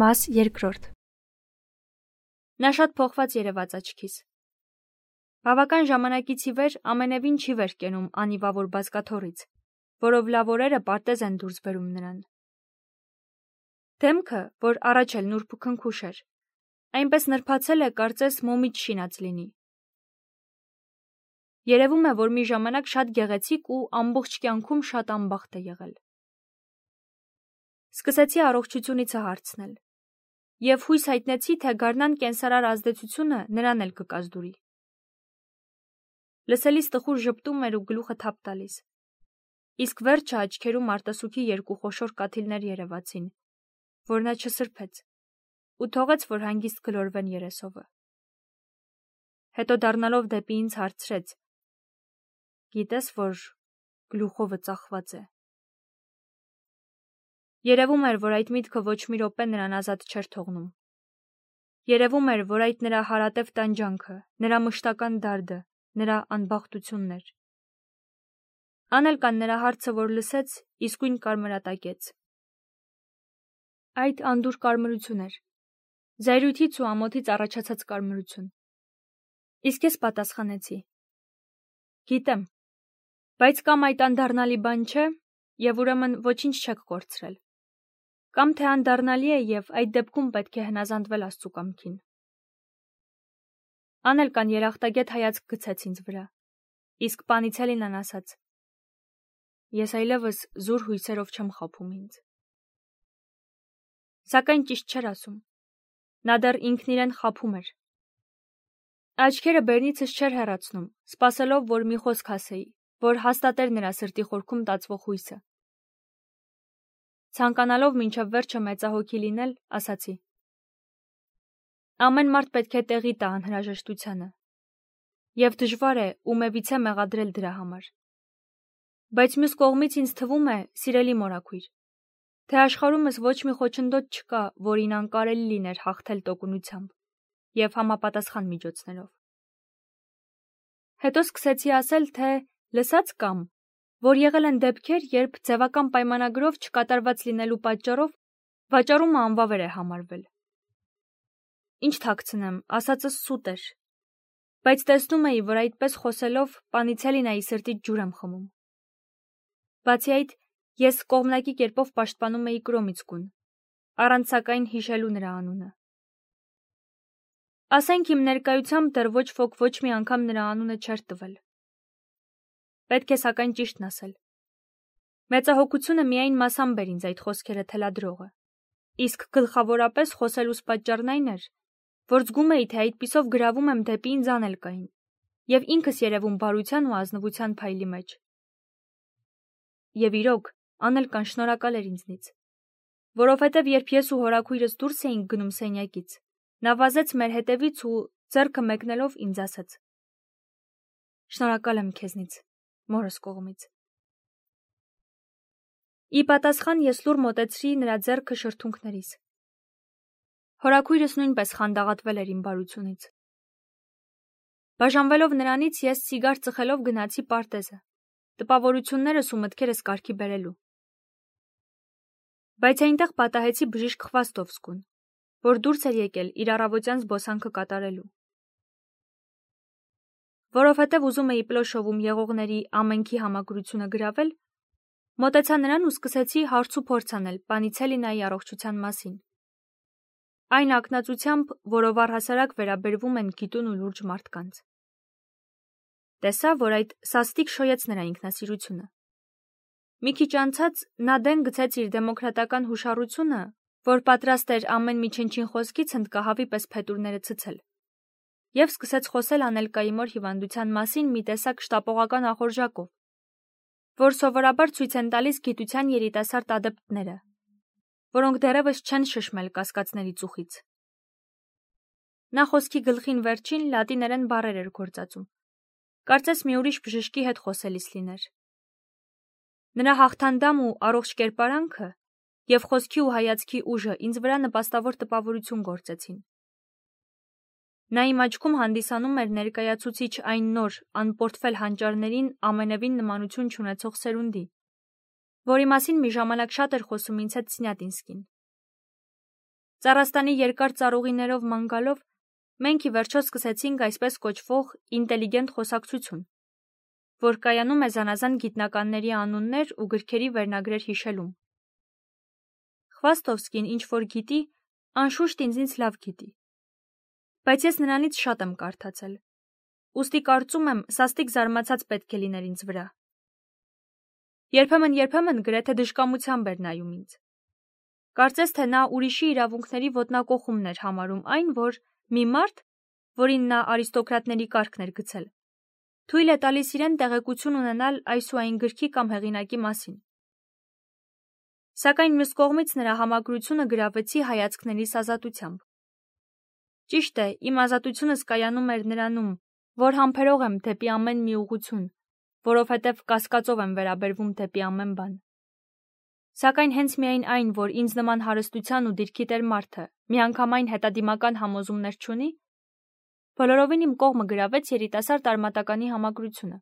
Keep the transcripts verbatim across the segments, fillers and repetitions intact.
Մաս երկրորդ։ Նա շատ փոխված երևաց աչքիս։ Բավական ժամանակից ի վեր ամենևին չի վեր կենում անիվավոր բազկաթոռից, որով լավ օրերը պարտեզ են դուրս բերում նրան։ Դեմքը, որ առաջ էլ նուրբ ու քնքուշ էր, այնպես նրբացել է, կարծես մոմից շինած լինի։ Երևում է, որ մի ժամանակ շատ գեղեցիկ ու ամբողջ կյանքում շատ անբախտ է եղել։ Սկսեցի առողջությունիցը հարցնել և հույս հայտնեցի, թե գարնան կենսարար ազդեցությունը նրան էլ կկազդուրի։ Լսելիս տխուր ժպտում էր ու գլուխը թափ տալիս, իսկ վերջը աչքերում արտասուքի երկու խոշոր կաթիլներ երևացին, որ նա չսրբեց ու թողեց, որ հանգիստ գլորվեն երեսովը։ Հետո դառնալով դեպի ինձ հարցրեց. «Գիտես, որ գլուխովը ծախված է»։ Երևում էր, որ այդ միտքը ոչ մի րոպե նրան ազատ չէր թողնում։ Երևում էր, որ այդ նրա հարատև տանջանքը, նրա մշտական դարդը, նրա անբախտությունն էր։ Անելկան նրա հարցը, որ լսեց, իսկույն կարմրատակեց։ Այդ անդուր կարմրություն էր, զայրույթից ու ամոթից առաջացած կարմրություն։ Իսկ ես պատասխանեցի. «Գիտեմ, բայց կամ այդ անդառնալի բան չէ, և ուրեմն ոչինչ չեք կորցրել, կամ թե անդառնալի է և այդ դեպքում պետք է հնազանդվել Աստծու կամքին»։ Անելկան երախտագետ հայացք գցեց ինձ վրա, իսկ Պանիցելինան ասաց. «Ես այլևս զուր հույսերով չեմ խաբում ինձ»։ Սակայն ճիշտ չէր ասում։ Նա դեռ ինքն իրեն խաբում էր։ Աչքերը բերնիցս չէր հեռացնում, սպասելով, որ մի խոսք ասեի, որ հաստատեր նրա սրտի խորքում տածվող հույսը։ Ցանկանալով մինչև վերջը մեծահոգի լինել, ասացի. «Ամեն մարդ պետք է տեղի տա անհրաժեշտությանը, և դժվար է ումևիցե մեղադրել դրա համար։ Բայց մյուս կողմից ինձ թվում է, սիրելի մորաքույր, թե աշխարհումս ոչ մի խոչընդոտ չկա, որին անկարելի լիներ հաղթել տոկունությամբ և համապատասխան միջոցներով»։ Հետո սկսեցի ասել, թե լսած կամ, որ եղել են դեպքեր, երբ ձևական պայմանագրով չկատարված լինելու պատճառով վաճառումը անվավեր է համարվել։ Ինչ թաքցնեմ, ասածս սուտ էր, բայց տեսնում էի, որ այդպես խոսելով Պանիցելինայի սրտից ջուր եմ խմում։ Բացի այդ, ես կողմնակի կերպով պաշտպանում էի Կրոմիցկուն, առանց սակայն հիշելու նրա անունը։ Ասենք իմ ներկայությամբ դեռ ոչ ոք ոչ մի անգամ նրա անունը չէր տվել։ Պետք է սակայն ճիշտն ասել։ Մեծահոգությունը միայն մասամբ էր ինձ այդ խոսքերը թելադրողը, իսկ գլխավորապես խոսելուս պատճառն այն էր, որ զգում էի, թե այդպիսով գրավում եմ դեպի ինձ Անելկային և ինքս երևում բարության ու ազնվության փայլի մեջ։ Եվ իրոք, Անելկան շնորհակալ էր ինձնից, որովհետև երբ ես ու հորաքույրս դուրս էինք գնում սենյակից, նա վազեց մեր հետևից ու ձեռքը մեկնելով ինձ ասաց. «Շնորհակալ եմ քեզնից, մորս կողմից»։ Ի պատասխան ես լուռ մոտեցրի նրա ձեռքը շրթունքներիս։ Հորաքույրս նույնպես խանդաղատվել էր իմ բարությունից։ Բաժանվելով նրանից, ես սիգար ծխելով գնացի պարտեզը, տպավորություններս ու մտքերս կարգի բերելու։ Բայց այնտեղ պատահեցի բժիշկ Խվաստովսկուն, որ դուրս էր եկել իր առավոտյան զբոսանքը կատարելու։ Որովհետև ուզում էի Պլոշովում եղողների ամենքի համագրությունը գրավել, մոտեցա նրան ու սկսեցի հարց ու փորձ անել Պանիցելինայի առողջության մասին, այն ակնածությամբ, որով առհասարակ վերաբերվում են գիտուն ու լուրջ մարդկանց։ Տեսա, որ այդ սաստիկ շոյեց նրա ինքնասիրությունը։ Մի քիչ անցած նա դեն գցեց իր դեմոկրատական հուշառությունը, որ պատրաստ էր ամեն մի չնչին խոսքից հնդկահավի պես փետուրները ցցել, և սկսեց խոսել Անելկայի մոր հիվանդության մասին մի տեսակ շտապողական ախորժակով, որ սովորաբար ցույց են տալիս գիտության երիտասարդ ադեպտները, որոնք դեռևս չեն շշմել կասկածների ծուխից։ Նա խոսքի գլխին վերջին լատիներեն բառեր էր գործածում, կարծես մի ուրիշ բժշկի հետ խոսելիս լիներ։ Նրա հաղթանդամ ու առողջ կերպարանքը և խոսքի ու հայացքի ուժը ինձ վրա նպաստավոր տպավորություն գործեցին։ Նա իմ աչքում հանդիսանում էր ներկայացուցիչ այն նոր, անպորտֆել հանճարներին ամենևին նմանություն չունեցող սերունդի, որի մասին մի ժամանակ շատ էր խոսում ինձ հետ Սնյատինսկին։ Ծառաստանի երկար ծառուղիներով ման գալով, մենք ի վերջո սկսեցինք այսպես կոչվող ինտելիգենտ խոսակցություն, որ կայանում է զանազան գիտնականների անուններ ու գրքերի վերնագրեր հիշելուն։ Խվաստովսկին ինչ-որ գիտի, անշուշտ ինձնից լավ գիտի, բայց ես նրանից շատ եմ կարդացել, ուստի կարծում եմ սաստիկ զարմացած պետք է լիներ ինձ վրա։ Երբեմն-երբեմն գրեթե դժկամությամբ էր նայում ինձ։ Կարծես թե նա ուրիշի իրավունքների ոտնակոխումն էր համարում այն, որ մի մարդ, որին նա արիստոկրատների կարգն էր գցել, թույլ է տալիս իրեն տեղեկություն ունենալ այս ու այն գրքի կամ հեղինակի մասին։ Սակայն մյուս կողմից նրա համակրությունը գրավեցի հայացքներիս ազատությամբ։ Ճիշտ է, իմ ազատությունս կայանում էր նրանում, որ համբերող եմ դեպի ամեն մի ուղղություն, որովհետև կասկածով եմ վերաբերվում դեպի ամեն բան։ Սակայն հենց միայն այն, որ ինձ նման հարստության ու դիրքի տեր մարդը միանգամայն հետադիմական համոզումներ չունի, բոլորովին իմ կողմը գրավեց երիտասարդ արմատականի համակրությունը։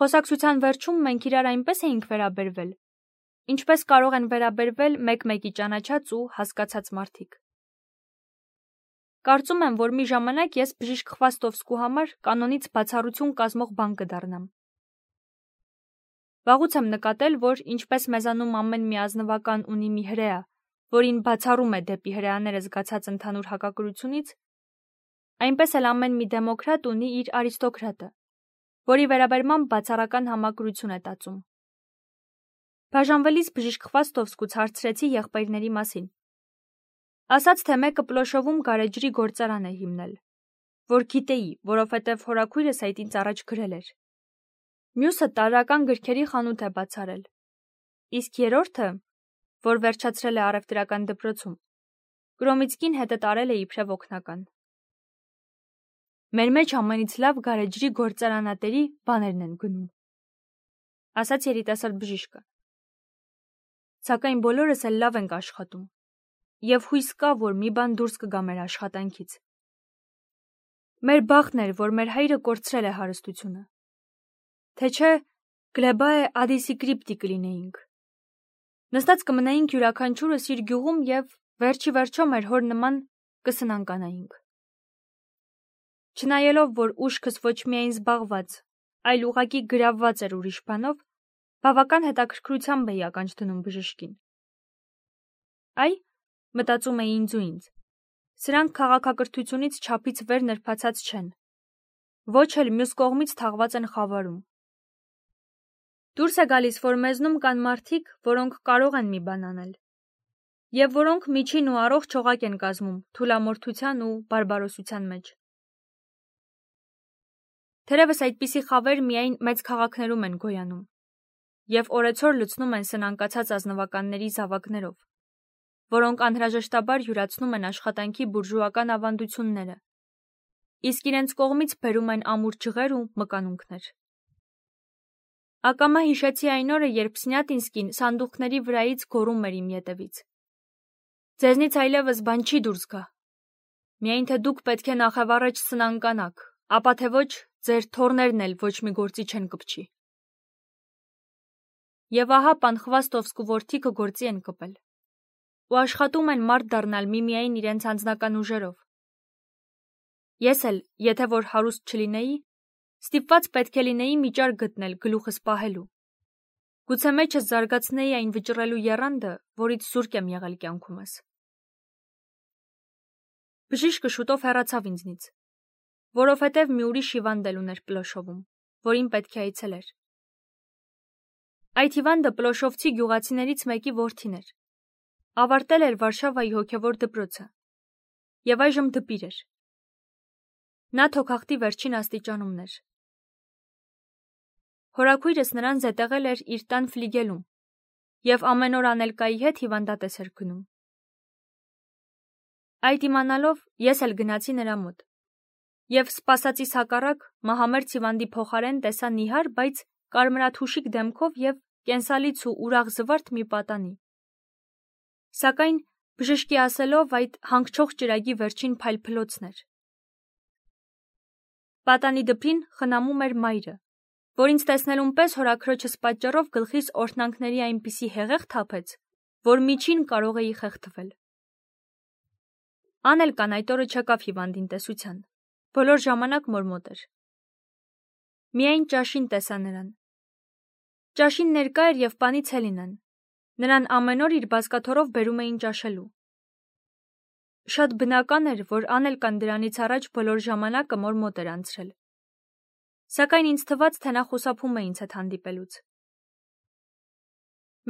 Խոսակցության վերջում մենք իրար այնպես էինք վերաբերվել, ինչպես կարող են վերաբերվել մեկ-մեկի ճանաչած ու հասկացած մարդիկ։ Կարծում եմ, որ մի ժամանակ ես բժիշկ Խվաստովսկու համար կանոնից բացառություն կազմող բան կդառնամ։ Վաղուց եմ նկատել, որ ինչպես մեզանում ամեն մի ազնվական ունի մի հրեա, որին բացառում է դեպի հրեաները զգացած ընդհանուր հակակրությունից, այնպես էլ ամեն մի դեմոկրատ ունի իր արիստոկրատը, որի վերաբերմամբ բացառական համակրություն է տածում։ Բաժանվելիս բժիշկ Խվաստովսկուց հարցրեցի եղբայրների մասին։ Ասաց, թե մեկը Պլոշովում գարեջրի գործարան է հիմնել, որ գիտեի, որովհետև հորաքույրս այդ ինձ առաջ գրել էր։ Մյուսը տարրական գրքերի խանութ է բացարել, իսկ երրորդը, որ վերջացրել է առևտրական դպրոցում, Կրոմիցկին հետը տարել է իբրև օգնական։ Մեր մեջ ամենից լավ գարեջրի գործարանատերի բաներն են գնում, ասաց երիտասարդ բժիշկը։ Սակայն բոլորս էլ լավ ենք աշխատում, և հույս կա, որ մի բան դուրս կգա մեր աշխատանքից։ Մեր բախտն էր, որ մեր հայրը կորցրել է հարստությունը։ Թե չէ, գլեբայե ադիսիկրիպտի կլինեինք։ Նստած կմնայինք յուրաքանչյուրս իր գյուղում և վերջի վերջո մեր հոր նման կսնանկանայինք։ Չնայելով, որ ուշքս ոչ միայն զբաղված, այլ ուղղակի գրավված էր ուրիշ բանով, բավական հետաքրքրությամբ էի ականջ դնում բժշկին։ Այ, մտածում էի ինձ ու ինձ, սրանք քաղաքակրթությունից չափից վեր նրբացած չեն, ոչ էլ մյուս կողմից թաղված են խավարում։ Դուրս է գալիս, որ մեզնում կան մարդիկ, որոնք կարող են մի բան անել, և որոնք միջին ու առողջ օղակ են կազմում թուլամորթության ու բարբարոսության մեջ։ Թերևս այդպիսի խավեր միայն մեծ քաղաքներում են գոյանում, և օրեցօր լցնում են սնանկացած ազնվականների զավակներով, որոնք անհրաժեշտաբար յուրացնում են աշխատանքի բուրժուական ավանդությունները, իսկ իրենց կողմից բերում են ամուր ջղեր ու մկանունքներ։ Ակամա հիշեցի այն օրը, երբ Սնյատինսկին սանդուղքների վրայից գոռում էր իմ ետևից. «Ձեզնից այլևս բան չի դուրս գա, միայն թե դուք պետք է նախևառաջ սնանկանաք, ապա թե ոչ, ձեր թոռներն էլ ոչ մի գործի չեն կպչի»։ Եվ ահա պան Խվաստովսկու որդիքը գործի են կպել, ու աշխատում են մարդ դառնալ միմիայն իրենց անձնական ուժերով։ Ես էլ, եթե որ հարուստ չլինեի, ստիպված պետք է լինեի մի ճար գտնել գլուխս պահելու։ Գուցե մեջս զարգացնեի այն վճռելու եռանդը, որից զուրկ եմ եղել կյանքումս։ Բժիշկը շուտով հեռացավ ինձնից, որովհետև մի ուրիշ հիվանդ էլ ուներ Պլոշովում, որին պետք է այցելեր։ Այդ հիվանդը պլոշովցի գյուղացիներից մեկի որդին էր, ավարտել էր Վարշավայի հոգևոր դպրոցը և այժմ դպիր էր։ Նա թոքախտի վերջին աստիճանումն էր։ Հորաքույրս նրան զետեղել էր իր տան ֆլիգելում և ամեն օր Անելկայի հետ հիվանդատես էր գնում։ Այդ իմանալով ես էլ գնացի նրա մոտ և սպասածիս հակառակ մահամերձ հիվանդի փոխարեն տեսա նիհար, բայց կարմրաթուշիկ դեմքով և կենսալից ու ուրախ զվարթ մի պատանի։ Սակայն բժշկի ասելով այդ հանգչող ճրագի վերջին փայլփլոցն էր։ Պատանի դպրին խնամում էր մայրը, որ ինձ տեսնելուն պես հորաքրոջս պատճառով գլխիս օրհնանքների այնպիսի հեղեղ թափեց, որ միջին կարող էի խեղդվել։ Անելկան այդ օրը չեկավ հիվանդին տեսության, բոլոր ժամանակ մորմոտ էր։ Միայն ճաշին տեսա նրան։ Ճաշին ներկա էր և պանից Հելինան, նրան ամեն օր իր բազկաթոռով բերում էին ճաշելու։ Շատ բնական էր, որ Անելկան դրանից առաջ բոլոր ժամանակը մորմոտ էր անցրել։ Սակայն ինձ թվաց, թե նա խուսափում է ինձ հետ հանդիպելուց։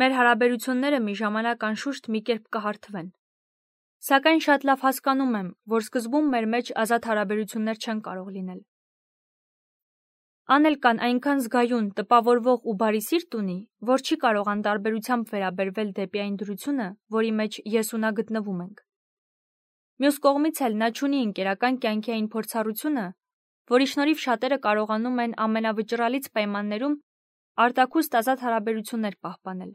Մեր հարաբերությունները մի ժամանակ անշուշտ մի կերպ կհարթվեն։ Սակայն շատ լավ հասկանում եմ, որ սկզբում մեր մեջ ազատ հարաբերություններ չեն կարող լինել։ Անելկան այնքան զգայուն, տպավորվող ու բարի սիրտ ունի, որ չի կարող անտարբերությամբ վերաբերվել դեպի այն դրությունը, որի մեջ ես ու նա գտնվում ենք։ Մյուս կողմից էլ նա չունի ընկերական կյանքի այն փորձառությունը, որի շնորհիվ շատերը կարողանում են ամենավճռալից պայմաններում արտաքուստ ազատ հարաբերություններ պահպանել։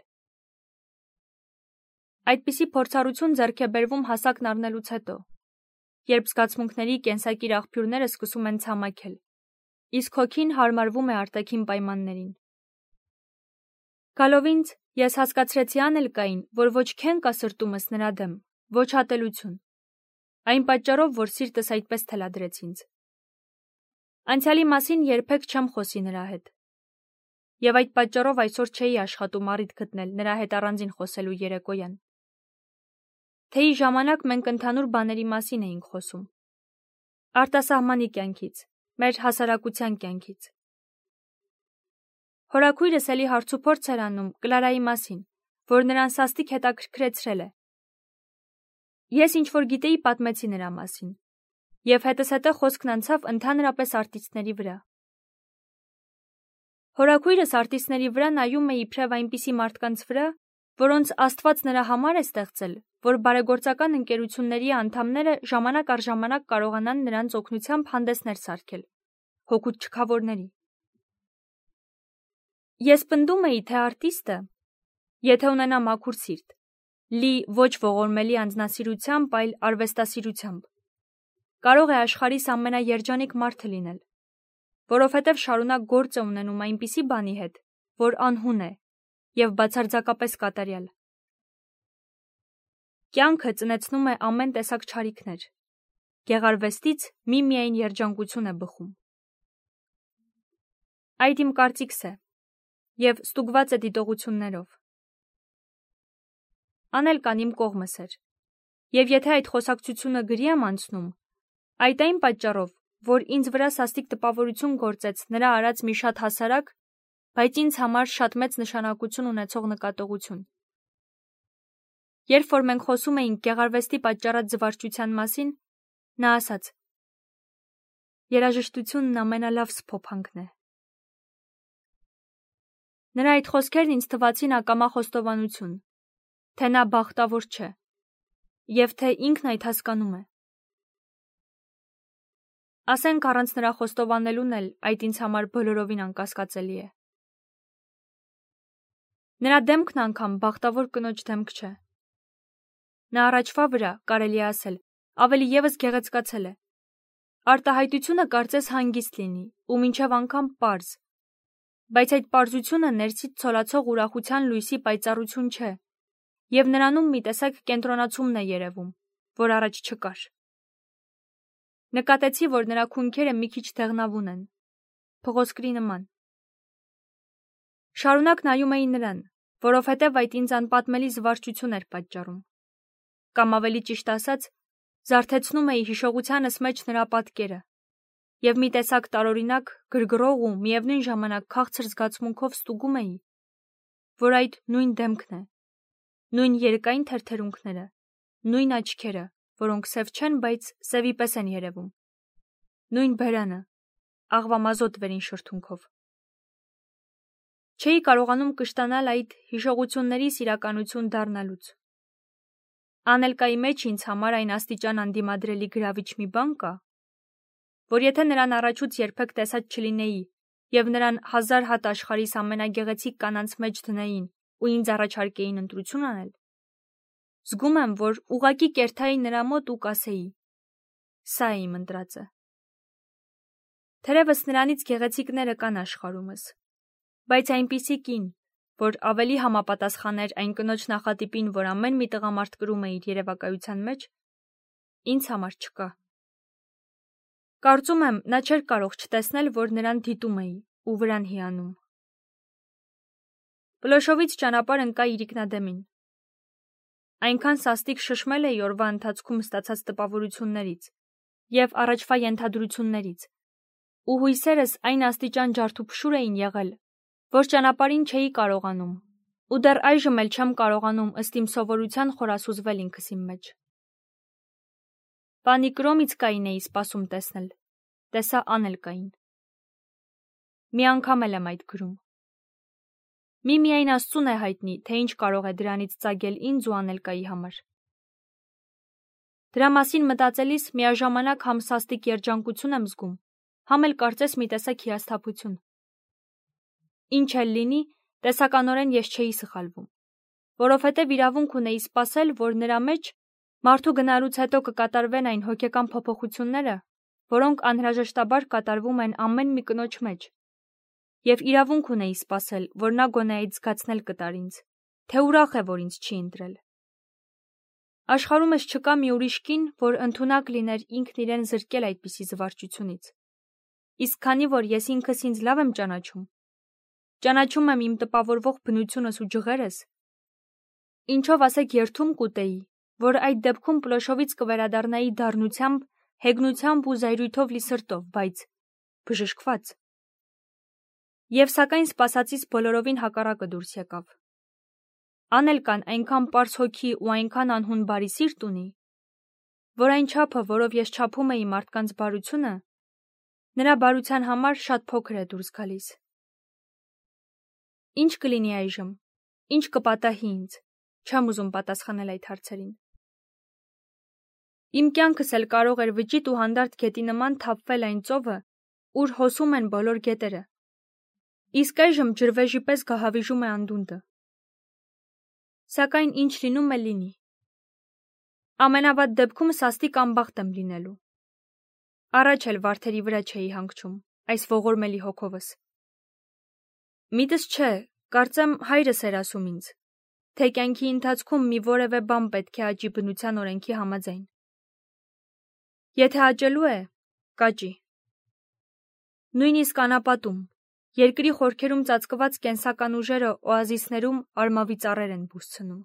Այդպիսի փորձառություն ձեռք է բերվում հասակն առնելուց հետո, երբ զգացմունքների կենսակիր աղբյուրները սկսում են ցամաքել, իսկ հոգին հարմարվում է արտաքին պայմաններին։ Գալով ինձ, ես հասկացրեցի Անելկային, որ ոչ քեն կա սրտումս նրա դեմ, ոչ հատելություն, այն պատճառով, որ սիրտս այդպես թելադրեց ինձ։ Անցյալի մասին երբեք չեմ խոսի նրա հետ, և այդ պատճառով այսօր չէի աշխատում առիթ գտնել նրա հետ առանձին խոսելու երեկոյան։ Թեյի ժամանակ մենք ընդհանուր բաների մասին էինք խոսում։ Արտասահմանի կյանքից, մեր հասարակության կյանքից։ Հորաքույրս էլի հարցուփորձ էր անում Կլարայի մասին, որ նրան սաստիկ հետաքրքրեցրել է։ Ես ինչ-որ գիտեի պատմեցի նրա մասին, և հետզհետե խոսքն անցավ ընդհանրապես արտիստների վրա։ Հորաքույրս արտիստների վրա նայում է իբրև այնպիսի մարդկանց վրա, որոնց Աստված նրա համար է ստեղծել, որ բարեգործական ընկերությունների անդամները ժամանակ առ ժամանակ կարողանան նրանց օգնությամբ հանդեսներ սարքել, հօգուտ չքավորների։ Ես պնդում էի, թե արտիստը, եթե ունենա մաքուր սիրտ, լի ոչ ողորմելի անձնասիրությամբ, այլ արվեստասիրությամբ, կարող է աշխարհիս ամենաերջանիկ մարդը լինել, որովհետև շարունակ գործ է ունենում այնպիսի բանի հետ, որ անհուն է և բացարձակապես կատարյալ։ Կյանքը ծնեցնում է ամեն տեսակ չարիքներ, գեղարվեստից միմիայն երջանկություն է բխում։ Այդ իմ կարծիքս է, և ստուգված է դիտողություններով։ Անելկան իմ կողմս էր, և եթե այդ խոսակցությունը գրի եմ անցնում, այդ այն պատճառով, որ ինձ վրա սաստիկ տպավորություն գործեց նրա արած մի շատ հասարակ, բայց ինձ համար շատ մեծ նշանակություն ունեցող նկատողություն։ Երբ որ մենք խոսում էինք գեղարվեստի պատճառած զվարճության մասին, նա ասաց. «Երաժշտությունն ամենալավ սփոփանքն է»։ Նրա այդ խոսքերն ինձ թվացին ակամա խոստովանություն, թե նա բախտավոր չէ, և թե ինքն այդ հասկանում է։ Ասենք առանց նրա խոստովանելուն էլ այդ ինձ համար բոլորովին անկասկածելի է։ Նրա դեմքն անգամ բախտավոր կնոջ դեմք չէ։ Նա առաջվա վրա, կարելի է ասել, ավելի ևս գեղեցկացել է։ Արտահայտությունը կարծես հանգիստ լինի, ու մինչև անգամ պարզ, բայց այդ պարզությունը ներսից ցոլացող ուրախության լույսի պայծառություն չէ, և նրանում մի տեսակ կենտրոնացումն է երևում, որ առաջ չկար։ Նկատեցի, որ նրա քունքերը մի քիչ դեղնավուն են, փղոսկրի նման։ Շարունակ նայում էի նրան, որովհետև այդ ինձ անպատմելի զվարճություն էր պատճառում, կամ ավելի ճիշտ ասած, զարթեցնում էի հիշողությանս մեջ նրա պատկերը, և մի տեսակ տարօրինակ, գրգռող ու միևնույն ժամանակ քաղցր զգացմունքով ստուգում էի, որ այդ նույն դեմքն է, նույն երկայն թերթերունքները, նույն աչքերը, որոնք սև չեն, բայց սևի պես են երևում, նույն բերանը, աղվամազոտ վերին շրթունքով։ Չէի կարողանում կշտանալ այդ հիշողություններիս իրականություն դառնալուց։ Անելկայի մեջ ինձ համար այն աստիճան անդիմադրելի գրավիչ մի բան կա, որ եթե նրան առաջուց երբեք տեսած չլինեի և նրան հազար հատ աշխարհիս ամենագեղեցիկ կանանց մեջ դնեին ու ինձ առաջարկեին ընտրություն անել, զգում եմ, որ ուղղակի կերթայի նրա մոտ ու կասեի. «Սա է իմ ընտրածը»։ Թերևս նրանից գեղեցիկները կան աշխարհումս, բայց այնպիսի կին, որ ավելի համապատասխաներ այն կնոջ նախատիպին, որ ամեն մի տղամարդ կրում է իր երևակայության մեջ, ինձ համար չկա։ Կարծում եմ, նա չէր կարող չտեսնել, որ նրան դիտում էի ու վրան հիանում։ Պլոշովից ճանապարհ ընկա իրիկնադեմին։ Այնքան սաստիկ շշմել էի օրվա ընթացքում ստացած տպավորություններից և առաջվա ենթադրություններից, ու հույսերս այն աստիճան ջարդուփշուր էին եղել, որ ճանապարհին չէի կարողանում, ու դեռ այժմ էլ չեմ կարողանում ըստ իմ սովորության խորասուզվել ինքս իմ մեջ։ Պանի Կրոմիցկային էի սպասում տեսնել, տեսա Անելկային։ Մի անգամ էլ եմ այդ գրում։ Միմիայն Աստծուն է հայտնի, թե ինչ կարող է դրանից ծագել ինձ ու Անելկայի համար։ Դրա մասին մտածելիս միաժամանակ համ սաստիկ երջանկություն եմ զգում, համ էլ կարծես մի տեսակ հիասթափություն։ Ինչ էլ լինի, տեսականորեն ես չէի սխալվում, որովհետև իրավունք ունեի սպասել, որ նրա մեջ մարդու գնալուց հետո կկատարվեն այն հոգեկան փոփոխությունները, որոնք անհրաժեշտաբար կատարվում են ամեն մի կնոջ մեջ, և իրավունք ունեի սպասել, որ նա գոնե այդ զգացնել կտար ինձ, թե ուրախ է, որ ինձ չի ընտրել։ Աշխարհումս չկա մի ուրիշ կին, որ ընդունակ լիներ ինքն իրեն զրկել այդպիսի զվարճությունից։ Իսկ քանի որ ես ինքս ինձ լավ եմ ճանաչում, ճանաչում եմ իմ տպավորվող բնությունս ու ջղերս, ինչով ասեք երդում կուտեի, որ այդ դեպքում Պլոշովից կվերադառնայի դառնությամբ, հեգնությամբ ու զայրույթով լի սրտով, բայց բժշկված։ Եվ սակայն սպասածից բոլորովին հակառակը դուրս եկավ։ Անելկան այնքան պարզ հոգի ու այնքան անհուն բարի սիրտ ունի, որ այն չափը, որով ես չափում էի մարդկանց բարությունը, նրա բարության համար շատ փոքր է դուրս գալիս։ Ինչ կլինի այժմ, ինչ կպատահի ինձ, չեմ ուզում պատասխանել այդ հարցերին։ Իմ կյանքս էլ կարող էր վճիտ ու հանդարտ գետի նման թափվել այն ծովը, ուր հոսում են բոլոր գետերը, իսկ այժմ ջրվեժի պես գահավիժում է անդունդը։ Սակայն ինչ լինում է լինի։ Ամենավատ դեպքում սաստիկ անբախտ եմ լինելու։ Առաջ էլ վարդերի վրա չէի հանգչում, այս ողորմելի հոգովս։ Միտս չէ, կարծեմ հայրս էր ասում ինձ, թե կյանքի ընթացքում մի որևէ բան պետք է աճի բնության օրենքի համաձայն։ Եթե աճելու է, կաճի։ Նույնիսկ անապատում, երկրի խորքերում ծածկված կենսական ուժերը օազիսներում արմավի ծառեր են բուսցնում։